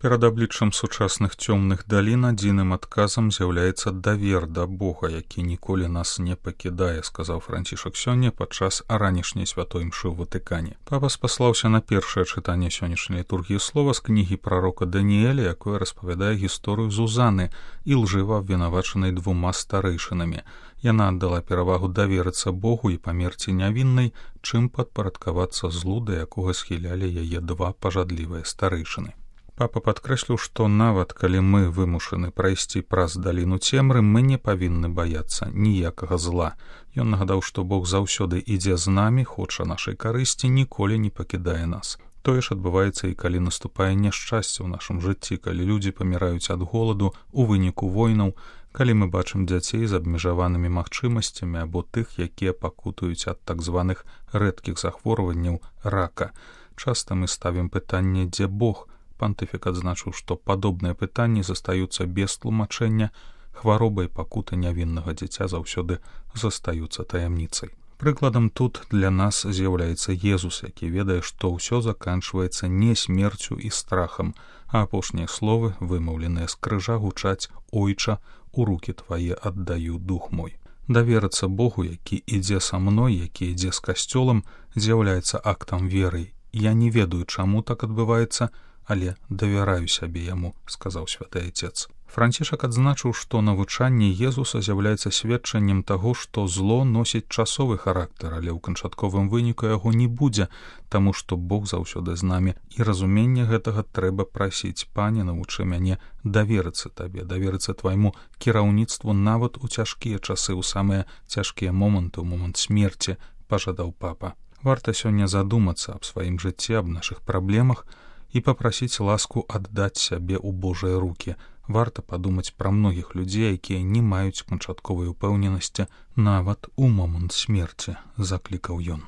Перад абліччам сучасных цёмных далін адзіным адказам з'яўляецца давер да Бога, які ніколі нас не пакідае, сказаў Францішак сёння падчас ранішняй святой імшы ў Ватыкане. Папа спаслаўся на першае чытанне сённяшняй літургіі слова з кнігі прарока Даніэля, якое распавядае гісторыю Зузаны, ілжыва абвінавачанай 2 старэйшынамі. Яна аддала перавагу даверыцца Богу і памерці нявіннай, чым падпарадкавацца злу, да якога схілялі яе 2 пажадлівыя старэйшыны. Папа падкрэсліў, што нават калі мы вымушаны прайсці праз даліну цемры, мы не павінны баяцца ніякага зла. Ён нагадаў, што Бог заўсёды ідзе з намі, хоча нашай карысці, ніколі не пакідае нас. Тое ж адбываецца і калі наступае няшчасце ў нашым жыцці, калі людзі паміраюць ад голаду у выніку войнаў, калі мы бачым дзяцей з абмежаванымі магчымасцямі або тых, якія пакутуюць ад так званых рэдкіх захворванняў рака. Часта мы ставім пытанне, дзе Бог? Пантыфік адзначыў, што падобныя пытанні застаюцца без тлумачэння, хвароба і пакута нявіннага дзіця заўсёды застаюцца таямніцай. Прыкладам тут для нас з'яўляецца Езус, які ведае, што ўсё заканчваецца не смерцю і страхам, а апошнія словы, вымаўленыя з крыжа, гучаць «Ойча, у рукі твае аддаю дух мой». Даверыцца Богу, які ідзе са мной, які ідзе з касцёлам, з'яўляецца актам веры. Я не ведаю, чаму так адбываецца, але давяраю сябе яму, сказаў святы Айцец. Францішак адзначыў, што навучанне Езуса з'яўляецца сведчаннем таго, што зло носіць часовы характар, але ў канчатковым выніку яго не будзе, таму што Бог заўсёды з намі, і разуменне гэтага трэба прасіць. Пане, навучы мяне даверыцца табе, даверыцца твайму кіраўніцтву нават у цяжкія часы, у самыя цяжкія моманты, у момант смерці, пажадаў папа. Варта сёння задумацца аб сваім жыцці, аб нашых праблемах і папрасіць ласку аддаць сябе ў Божыя рукі. Варта падумаць пра многіх людзей, якія не маюць канчатковай упэўненасці нават у момант смерці, заклікаў ён.